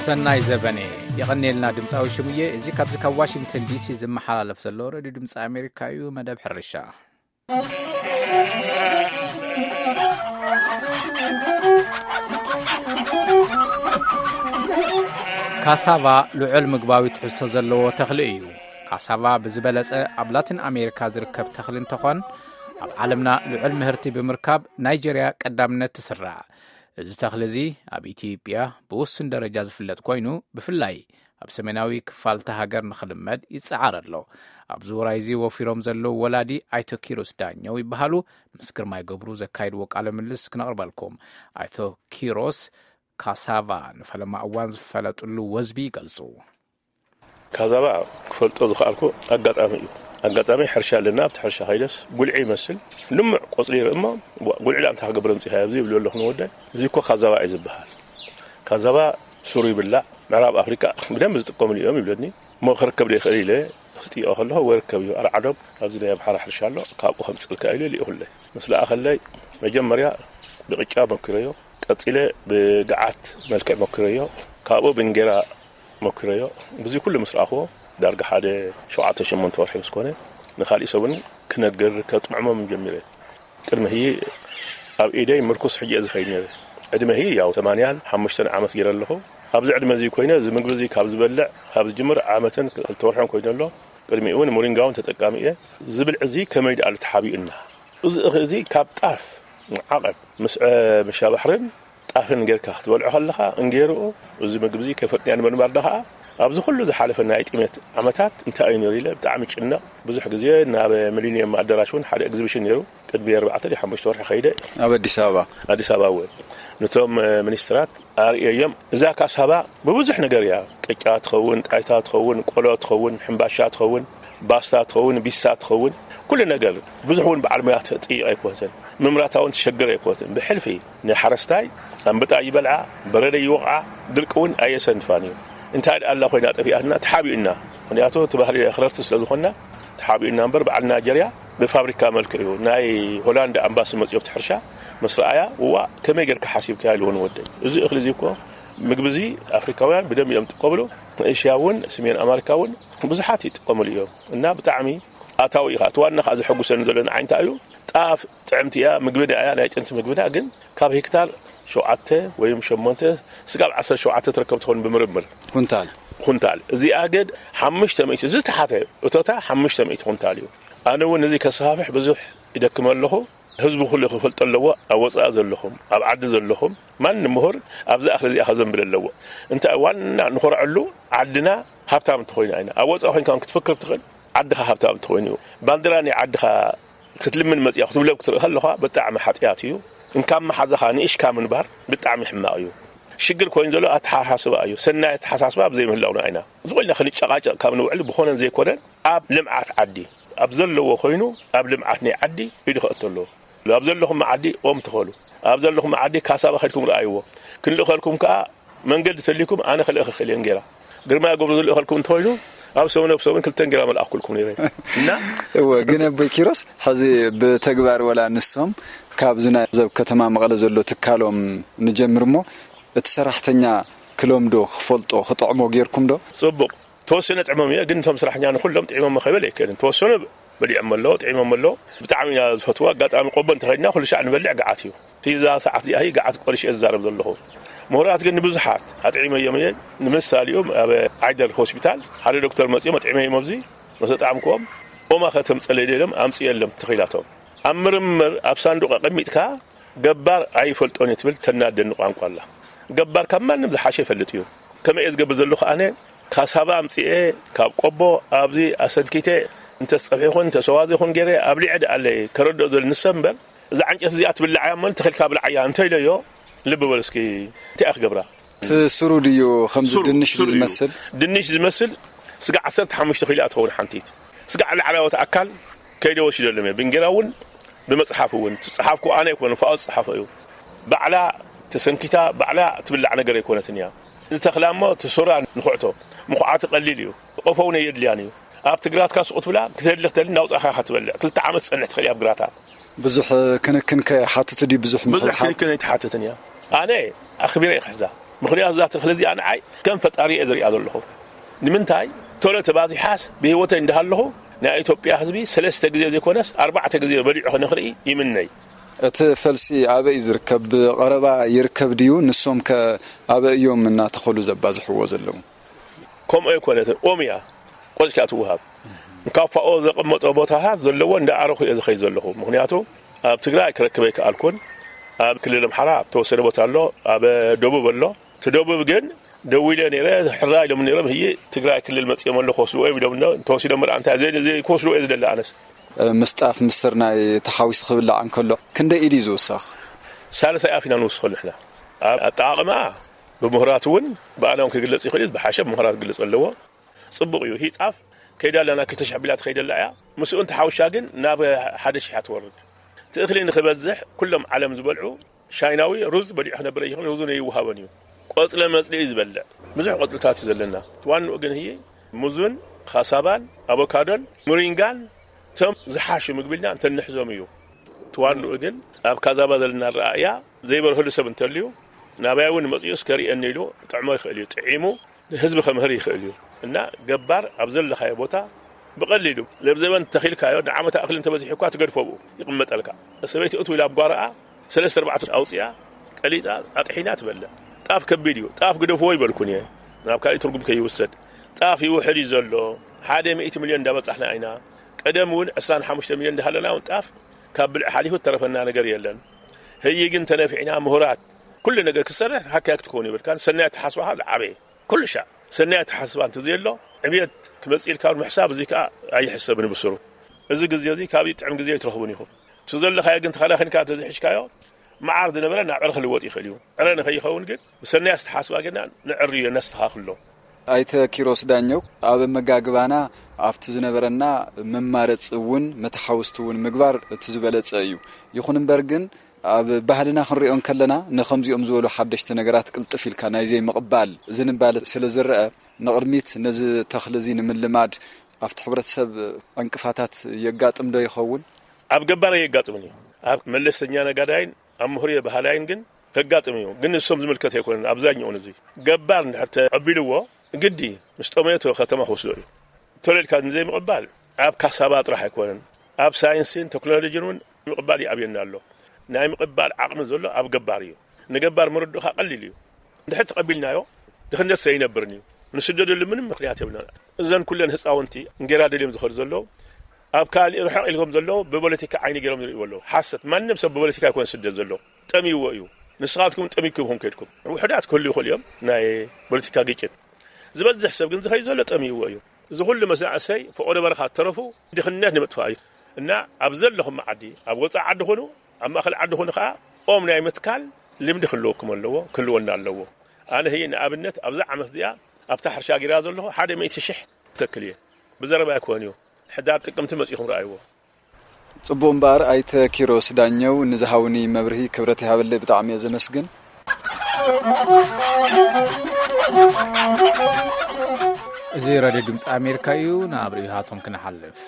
ሰናይ ዘበነ። የቐንየልና ድምፃዊ ሽሙየ። እዚ ካብዚ ካብ ዋሽንግተን ዲሲ ዝመሓላለፍ ዘሎ ሬድዮ ድምፂ ኣሜሪካ እዩ። መደብ ሕርሻ። ካሳቫ ልዑል ምግባዊ ትሕዝቶ ዘለዎ ተኽሊ እዩ። ካሳቫ ብዝበለጸ ኣብ ላቲን ኣሜሪካ ዝርከብ ተኽሊ እንተኾን፣ ኣብ ዓለምና ልዑል ምህርቲ ብምርካብ ናይጀርያ ቀዳምነት ትስራዕ። እዚ ተኽሊ እዚ ኣብ ኢትዮጵያ ብውሱን ደረጃ ዝፍለጥ ኮይኑ፣ ብፍላይ ኣብ ሰሜናዊ ክፋል እታ ሃገር ንኽልመድ ይጸዓር ኣሎ። ኣብዚ ውራይ እዚ ወፊሮም ዘለዉ ወላዲ ኣይቶ ኪሮስ ዳኘው ይበሃሉ። ምስ ግርማይ ገብሩ ዘካይድዎ ቃለ ምልልስ ክነቕርበልኩም። ኣይቶ ኪሮስ ካሳቫ ንፈለማ እዋን ዝፈለጥሉ ወዝቢ ይገልጹ። ካዛባ ክፈልጦ ዝኸኣልኩ ኣጋጣሚ እዩ። ኣጋጣሚ ሕርሻ ኣለና፣ ኣብቲ ሕርሻ ከይደስ ጉልዒ ይመስል፣ ልሙዕ ቆጽሊ ይርኢ እሞ፣ "ዋ፣ ጉልዒ ዳኣ እንታይ ክገብር ኣምጺኻዮ ኣብዚ?" ይብሉ ኣለኹ ንወደይ። "እዚ እኮ ካዛባ እዩ ዝበሃል። ካዛባ ሱሩ ይብላዕ፣ ምዕራብ ኣፍሪቃ ብደንቢ ዝጥቀምሉ እዮም" ይብለኒ። እሞ ክርከብ ዶ ይኽእል ኢለ ክጥይቆ ከለኹ፣ "ወይ ርከብ እዩ፣ ኣርዓዶም ኣብዚ ናይ ኣምሓራ ሕርሻ ኣሎ፣ ካብኡ ከምጽልካ" ኢሉ ልኢኹለይ። ምስ ለኣኸለይ መጀመርያ ብቅጫ መኪረዮ፣ ቀጺለ ብገዓት መልክዕ መኪረዮ፣ ካብኡ ብእንጌራ መኪረዮ። ብዚ ኩሉ ምስ ረኣኽዎ፣ ዳርጋ ሓደ ሸውዓተ ሸሞንተ ወርሒ ምስ ኮነ፣ ንኻሊእ ሰብን ክነግር ከጥዕሞም ጀሚረ። ቅድሚ ህዪ ኣብ ኢደይ ምርኩስ ሕጂ እየ ዝኸይድ ነይረ። ዕድመ ህዪ ያው ሰማንያን ሓሙሽተን ዓመት ገይረ ኣለኹ። ኣብዚ ዕድመ እዚ ኮይነ፣ እዚ ምግቢ እዚ ካብ ዝበልዕ፣ ካብ ዝጅምር ዓመትን ክልተ ወርሕን ኮይኑ ኣሎ። ቅድሚኡ እውን ሞሪንጋ እውን ተጠቃሚ እየ። እዚ ብልዒ እዚ ከመይ ደኣ ተሓቢኡና? እዚ እኽሊ እዚ ካብ ጣፍ ዓቐብ ምስ፣ እ፣ ምሻ ባሕርን ጣፍን ጌርካ ክትበልዖ ከለኻ፣ እንጌርኡ፣ እዚ ምግቢ እዚ ከይፈትንያ ንምንባር ደኣ ኸዓ፣ ኣብዚ ኩሉ ዝሓለፈ ናይ ጥሜት ዓመታት እንታይ እዩ ነይሩ ኢለ ብጣዕሚ ጭነቕ። ብዙሕ ግዜ ናብ ሚሊኒየም ኣዳራሽ እውን ሓደ ኤግዚቢሽን ነይሩ። ቅድሚ ኣርባዕተ ድዩ ሓሙሽተ ወርሒ ከይደ ኣብ ኣዲስ ኣበባ። ኣዲስ ኣበባ እውን ነቶም፣ እ፣ ሚኒስትራት ኣርእየዮም። እዛ ካሳባ ብብዙሕ ነገር እያ። ቅጫ ትኸውን፣ ጣይታ ትኸውን፣ ቆሎ ትኸውን፣ ሕምባሻ ትኸውን፣ ባስታ ትኸውን፣ ቢሳ ትኸውን፣ ኩሉ ነገር። ብዙሕ እውን በዓል ሞያ ትጥይቕ ኣይኮነትን። ምምራታ እውን ትሸግር ኣይኮነትን። ብሕልፊ ንሓረስታይ ኣንበጣ ይበልዓ፣ በረደ ይወቕዓ፣ ድርቂ እውን ኣየሰንፋን እዩ። እንታይ ደኣ ኣላ ኮይና ጠፊኣትና፣ ተሓቢኡና። ምኽንያቱ እቲ ባህሊ ኣኽረርቲ ስለ ዝኾንና ተሓቢኡና እምበር፣ በዓል ናይጀርያ ብፋብሪካ መልክዕ እዩ። ናይ ሆላንድ ኣምባሲ መጺኦ ኣብቲ ሕርሻ ምስ ረኣያ፣ "እዋ፣ ከመይ ጌርካ ሓሲብካያ?" ኢልዎ ንወደይ። እዚ እኽሊ እዚ እኮ ምግቢ እዚ ኣፍሪካውያን ብደንብ እዮም ዝጥቀምሉ። ንእሽያ እውን፣ ሰሜን ኣመሪካ እውን ብዙሓት ይጥቀምሉ እዮም። እና ብጣዕሚ ኣታዊ ኢኻ። እቲ ዋና ኸዓ ዘሐጉሰኒ ዘሎ ንዓይ እንታይ እዩ? ጣፍ ጥዕምቲ እያ፣ ምግብና እያ፣ ናይ ጥንቲ ምግብና፣ ግን ካብ ሄክታር ሸውዓተ ወይም ሸሞንተ ስጋብ ዓሰርተ ሸውዓተ ትርከብ ትኸውን ብምርምር። ኩንታል። ኩንታል። እዚኣ ግን ሓሙሽተ ሚእቲ ዝተሓተ እቶታ ሓሙሽተ ሚእቲ ኩንታል እዩ። ኣነ እውን እዚ ከስፋሕፍሕ ብዙሕ ይደክም ኣለኹ። ህዝቢ ኩሉ ክፈልጦ ኣለዎ። ኣብ ወጻኢ ዘለኹም፣ ኣብ ዓዲ ዘለኹም፣ ማንም ምሁር ኣብዛ እኽሊ እዚኣ ከዘንብል ኣለዎ። እንታይ ዋና ንኾርዐሉ፣ ዓድና ሃብታም እንተኾይና ኢና። ኣብ ወጻኢ ኮይንካ ክትፍክር ትኽእል፣ ዓድኻ ሃብታም እንተኾይኑ እዩ። ባንዲራ ናይ ዓድኻ ክትልምን መጺኣ ክትውለብ ክትርኢ ከለኻ ብጣዕሚ ሓጢኣት እዩ። እንካብ መሓዛኻ ንእሽካ ምንባር ብጣዕሚ ሕማቕ እዩ። ሽግር ኮይኑ ዘሎ ኣተሓሳስባ እዩ። ሰናይ ኣተሓሳስባ ኣብ ዘይምህላውና ኢና። ዝኾነ ክንጨቃጨቅ ካብ ንውዕል ብኾነን ዘይኮነን ኣብ ልምዓት ዓዲ፣ ኣብ ዘለዎ ኮይኑ ኣብ ልምዓት ናይ ዓዲ ኢዱ ከእቶ ኣለዎ። ኣብ ዘለኹም ዓዲ ኦም ትኸሉ፣ ኣብ ዘለኹም ዓዲ ካሳባ ከድኩም ረኣይዎ። ክንልእኸልኩም ከኣ መንገዲ ተልይኩም ኣነ ክልእኽ እኽእል እየ እንጌራ። ግርማ ገብሩ ዝልእኸልኩም እንተኾይኑ ኣብ ሰሙን ኣብ ሰሙን ክልተ እንጌራ መልኣኩልኩም ነይረ። እና እወ፣ ግን ኣቦይ ኪሮስ፣ ሕዚ ብተግባር ወላ ንሶም ካብዚ ናይ ዘብ ከተማ መቐለ ዘሎ ትካሎም ንጀምር እሞ፣ እቲ ሰራሕተኛ ክለምዶ፣ ክፈልጦ፣ ክጥዕሞ ጌርኩም ዶ? ጽቡቕ። ተወሰነ ጥዕሞም እየ፣ ግን እቶም ሰራሕተኛ ንኹሎም ጥዒሞም ከይበል ኣይክእልን። ተወሰነ በሊዖም ኣለዉ፣ ጥዒሞም ኣለዉ። ብጣዕሚ ኢና ዝፈትዎ። ኣጋጣሚ ቆቦ እንተኸድና ኩሉ ሻዕ ንበልዕ ገዓት እዩ። እቲ እዛ ሰዓት እዚኣ እዩ ገዓት ቆሪሽ እየ ዝዛረብ ዘለኹ። ምሁራት ግን ንብዙሓት ኣጥዒመዮም እየ። ንምሳሌኡ ኣብ ዓይደር ሆስፒታል ሓደ ዶክተር መጺኦም ኣጥዒመዮም ኣብዚ ምስ ኣጥዓምክዎም ኦማ ከተምጸለይ ኢሎም ኣምጽኤሎም ተኺላቶም። ኣብ ምርምር ኣብ ሳንዱቕ ኣቐሚጥካ ገባር ኣይፈልጦን እዩ ትብል ተናደኒ ቋንቋ ኣላ። ገባር ካብ ማንም ዝሓሸ ይፈልጥ እዩ። ከመይ እየ ዝገብር ዘለኹ ኣነ? ካሳባ ኣምጽኤ ካብ ቆቦ ኣብዚ ኣሰንኪተ እንተስ ጸብሒ ይኹን እንተስ ኣዋዘ ይኹን ገይረ ኣብሊዐ ደኣ ኣለይ ከረድኦ ዘል ንሰብ እምበር፣ እዛ ዕንጨት እዚኣ ትብላዕ እያ እሞ ተኺልካ ብላዓያ እንተ ኢለዮ፣ ልቢ በል እስኪ፣ እንታይ እያ ክገብራ? እቲ ስሩ ድዩ ከምዚ ስሩ፣ ድንሽ ስሩ እዩ። ዝመስል? ድንሽ ዝመስል ስጋ ዓሰርተ ሓሙሽተ ኪሎ እያ ትኸውን ሓንቲት። ስጋ ላዕላዎት ኣካል ከይደ ወሲደሎም እየ። ብእንጌራ እውን ብመጽሓፍ እውን ዝጸሓፍኩ ኣነ ኣይኮነ፣ ፋኦ ዝጸሓፎ እዩ። ባዕላ ተሰንኪታ፣ ባዕላ ትብላዕ ነገር ኣይኮነትን እያ። ንተኽላ እሞ እቲ ሱራ ንኹዕቶ፣ ምኹዓቱ ቀሊል እዩ። ቆፎ እውን ኣየድልያን እዩ። ኣብ ትግራትካ ስቕ ትብላ፣ ክተድሊ ክተድሊ እናውጻእካ ኢኻ ትበልዕ። ክልተ ዓመት ትጸንሕ ትኽእል እያ ኣብ ግራታ። ብዙሕ ክንክን ከይሓትት ድዩ ብዙሕ ብዙሕ ምሕብሓብ? ክንክን ኣይትሓትትን እያ። ኣነ ኣኽቢረ እየ ክሕዛ። ምኽንያቱ እዛ ተኽሊ እዚኣ ንዓይ ከም ፈጣሪ እየ ዝሪኣ ዘለኹ። ንምንታይ? ቶሎ ተባዚሓስ ብህይወተይ እንዳሃለኹ ናይ ኢትዮጵያ ህዝቢ ሰለስተ ግዜ ዘይኮነስ ኣርባዕተ ግዜ በሊዑ ንኽርኢ ይምነይ። እቲ ፈልሲ ኣበይ ዝርከብ? ብቐረባ ይርከብ ድዩ? ንሶም ከ ኣበይ እዮም እናተኸሉ ዘባዝሕዎ ዘለዉ? ከምኡ ኣይኮነትን። ኦም እያ። ቆጽካ ትውሃብ። ንካፋኦ ዘቐመጦ ቦታታት ዘለዎ እንዳኣረኹ እየ ዝኸይድ ዘለኹ። ምኽንያቱ ኣብ ትግራይ ክረክብ ኣይከኣልኩን። ኣብ ክልል ኣምሓራ ኣብ ተወሰነ ቦታ ኣሎ፣ ኣብ ደቡብ ኣሎ። እቲ ደቡብ ግን ደዊለ ነይረ፣ ሕራ ኢሎም ነይሮም፣ ህይ ትግራይ ክልል መጽኦም ኣሎ ክወስድዎ እዮም ኢሎም፣ እንተወሲዶም ምርኣ እንታይ ዘይ-፣ ዘይክወስድዎ እየ ዝደሊ ኣነስ። ምስ ጣፍ ምስ ስርናይ ተሓዊሱ ክብላዕ እንከሎ ክንደይ ኢድ እዩ ዝውሰኽ? ሳልሳይ ኣፍ ኢና ንውስኸሉ ንሕና። ኣብ ኣጠቓቕማ ብምሁራት እውን ብኣና እውን ክግለጽ ይኽእል እዩ፣ ብሓሸ ብምሁራት ክግለጽ ኣለዎ። ጽቡቕ እዩ። ህይ ጣፍ ከይዳ ኣለና ክልተ ሽሕ ቢላ ትኸይደላ እያ። ምስኡ እንተሓውሻ ግን ናብ ሓደ ሽሕ እያ ትወርድ። እቲ እኽሊ ንኽበዝሕ ኩሎም ዓለም ዝበልዑ ሻይናዊ ሩዝ በሊዑ ክነብር ይኽእል፣ ሩዙ ነይውሃበን እዩ። ቆጽለ መጽሊ እዩ ዝበልዕ። ብዙሕ ቆጽልታት እዩ ዘለና። እቲ ዋንኡ ግን ህይ ሙዝን፣ ካሳባን፣ ኣቮካዶን፣ ሙሪንጋን እቶም ዝሓሹ ምግቢ ኢልና እንተንሕዞም እዩ። እቲ ዋንኡ ግን ኣብ ካዛባ ዘለና ኣረኣእያ ዘይበርህሉ ሰብ እንተልዩ ናባይ እውን መጽኡ እስከ ርእየኒ ኢሉ ጥዕሞ ይኽእል እዩ። ጥዒሙ ንህዝቢ ከምህር ይኽእል እዩ። እና ገባር ኣብ ዘለኻዮ ቦታ ብቐሊሉ ለብዘበን ተኺልካዮ ንዓመት ኣኽሊ እንተበዚሑ እኳ ትገድፎ ብኡ ይቕመጠልካ። ሰበይቲ እትው ኢላ ኣብ ጓሮኣ ሰለስተ ኣርባዕተ ኣውፅኣ ቀሊጣ ኣጥሒና ትበልዕ። ጣፍ ከቢድ እዩ። ጣፍ ግደፍዎ ይበልኩን እየ። ናብ ካልእ ትርጉም ከይውሰድ። ጣፍ ይውሕድ እዩ ዘሎ። ሓደ ሚእቲ ሚልዮን እንዳበጻሕና ኢና። ቀደም እውን ዕስራን ሓሙሽተ ሚልዮን እንዳሃለና እውን ጣፍ ካብ ብልዒ ሓሊፉ እተረፈና ነገር የለን። ህይ ግን ተነፊዕና ምሁራት ኩሉ ነገር ክሰርሕ ሃካያ ክትከውን ይብልካን ሰናይ ተሓስባኻ ዝዓበየ ኩሉ ሻዕ ሰናይ ተሓስባ እንተዘየሎ ዕብየት ክመጽእ ኢልካ ምሕሳብ እዚ ከኣ ኣይሕሰብን ብስሩ። እዚ ግዜ እዚ ካብዚ ጥዕም ግዜ ኣይትረኽቡን ኢኹም። እቲ ዘለኻዮ ግን ተኸናኺንካ እንተዝሕዝካዮ መዓር ዝነበረ ናብ ዕረ ክልወጥ ይኽእል እዩ። ዕረ ንኸይኸውን ግን ብሰናይ ኣስተሓስባ ጌርና ንዕርዮ ነስተኻኽሎ። ኣይተ ኪሮስ ዳኘው፣ ኣብ ኣመጋግባና ኣብቲ ዝነበረና መማረፂ እውን መተሓውስቲ እውን ምግባር እቲ ዝበለፀ እዩ። ይኹን እምበር ግን ኣብ ባህልና ክንሪኦ እንከለና ንኸምዚኦም ዝበሉ ሓደሽቲ ነገራት ቅልጥፍ ኢልካ ናይ ዘይምቕባል ዝንባለ ስለ ዝረአ ንቕድሚት ነዚ ተኽሊ እዚ ንምልማድ ኣብቲ ሕብረተሰብ ዕንቅፋታት የጋጥም ዶ ይኸውን? ኣብ ገባር ኣየጋጥምን እዩ። ኣብ መለስተኛ ነጋዳይን ኣብ ምሁር ባህላይን ግን ከጋጥም እዩ። ግን ንሶም ዝምልከት ኣይኮነን። ኣብዛኛኡ እዚ ገባር እንድሕር ተቐቢልዎ ግዲ ምስ ጠመዮ እቲ ከተማ ክወስዶ እዩ። ተለልካ ንዘይምቕባል ኣብ ካሳባ ጥራሕ ኣይኮነን። ኣብ ሳይንስን ቴክኖሎጂን እውን ምቕባል ይኣብየና ኣሎ። ናይ ምቕባል ዓቕሚ ዘሎ ኣብ ገባር እዩ። ንገባር ምርድኡኻ ቀሊል እዩ። እንድሕር ተቐቢልናዮ ድኽነት ዘይነብርን እዩ። ንስደደሉ ምንም ምኽንያት የብልና። እዘን ኩለን ህፃውንቲ እንጌራ ደልዮም ዝኸዱ ዘለዉ ኣብ ካልእ ርሕቕ ኢልኩም ዘለዉ ብፖለቲካ ዓይኒ ገይሮም ዝርእይዎ ኣለዉ። ሓሰት። ማንም ሰብ ብፖለቲካ ኣይኮነ ስደት ዘሎ። ጠሚዎ እዩ። ንስኻትኩም ጠሚኩም ኢኹም ከድኩም። ውሑዳት ክህሉ ይኽእሉ እዮም ናይ ፖለቲካ ግጭት። ዝበዝሕ ሰብ ግን ዝኸይድ ዘሎ ጠሚዎ እዩ። እዚ ኩሉ መናእሰይ ፈቆዶ በረኻ ተረፉ ድኽነት ንምጥፋእ እዩ። እና ኣብ ዘለኹም ዓዲ ኣብ ወፃኢ ዓዲ ኹኑ ኣብ ማእኸል ዓዲ ኹኑ ከዓ ኦም ናይ ምትካል ልምዲ ክህልወኩም ኣለዎ፣ ክህልወና ኣለዎ። ኣነ ህይ ንኣብነት ኣብዛ ዓመት እዚኣ ኣብታ ሕርሻ ጌራ ዘለኹ ሓደ ሚእቲ ሽሕ ተክል እየ። ብዘረባ ኣይኮን እዩ። ሕዳር ጥቅምቲ መፂኹም ረኣይዎ። ጽቡቕ እምበኣር ኣይተ ኪሮስ ዳኘው ንዝሃውኒ መብርሂ ክብረት ይሃበለይ፣ ብጣዕሚ እየ ዘመስግን። እዚ ሬድዮ ድምፂ ኣሜሪካ እዩ። ናብ ርእይቶታቶም ክንሓልፍ።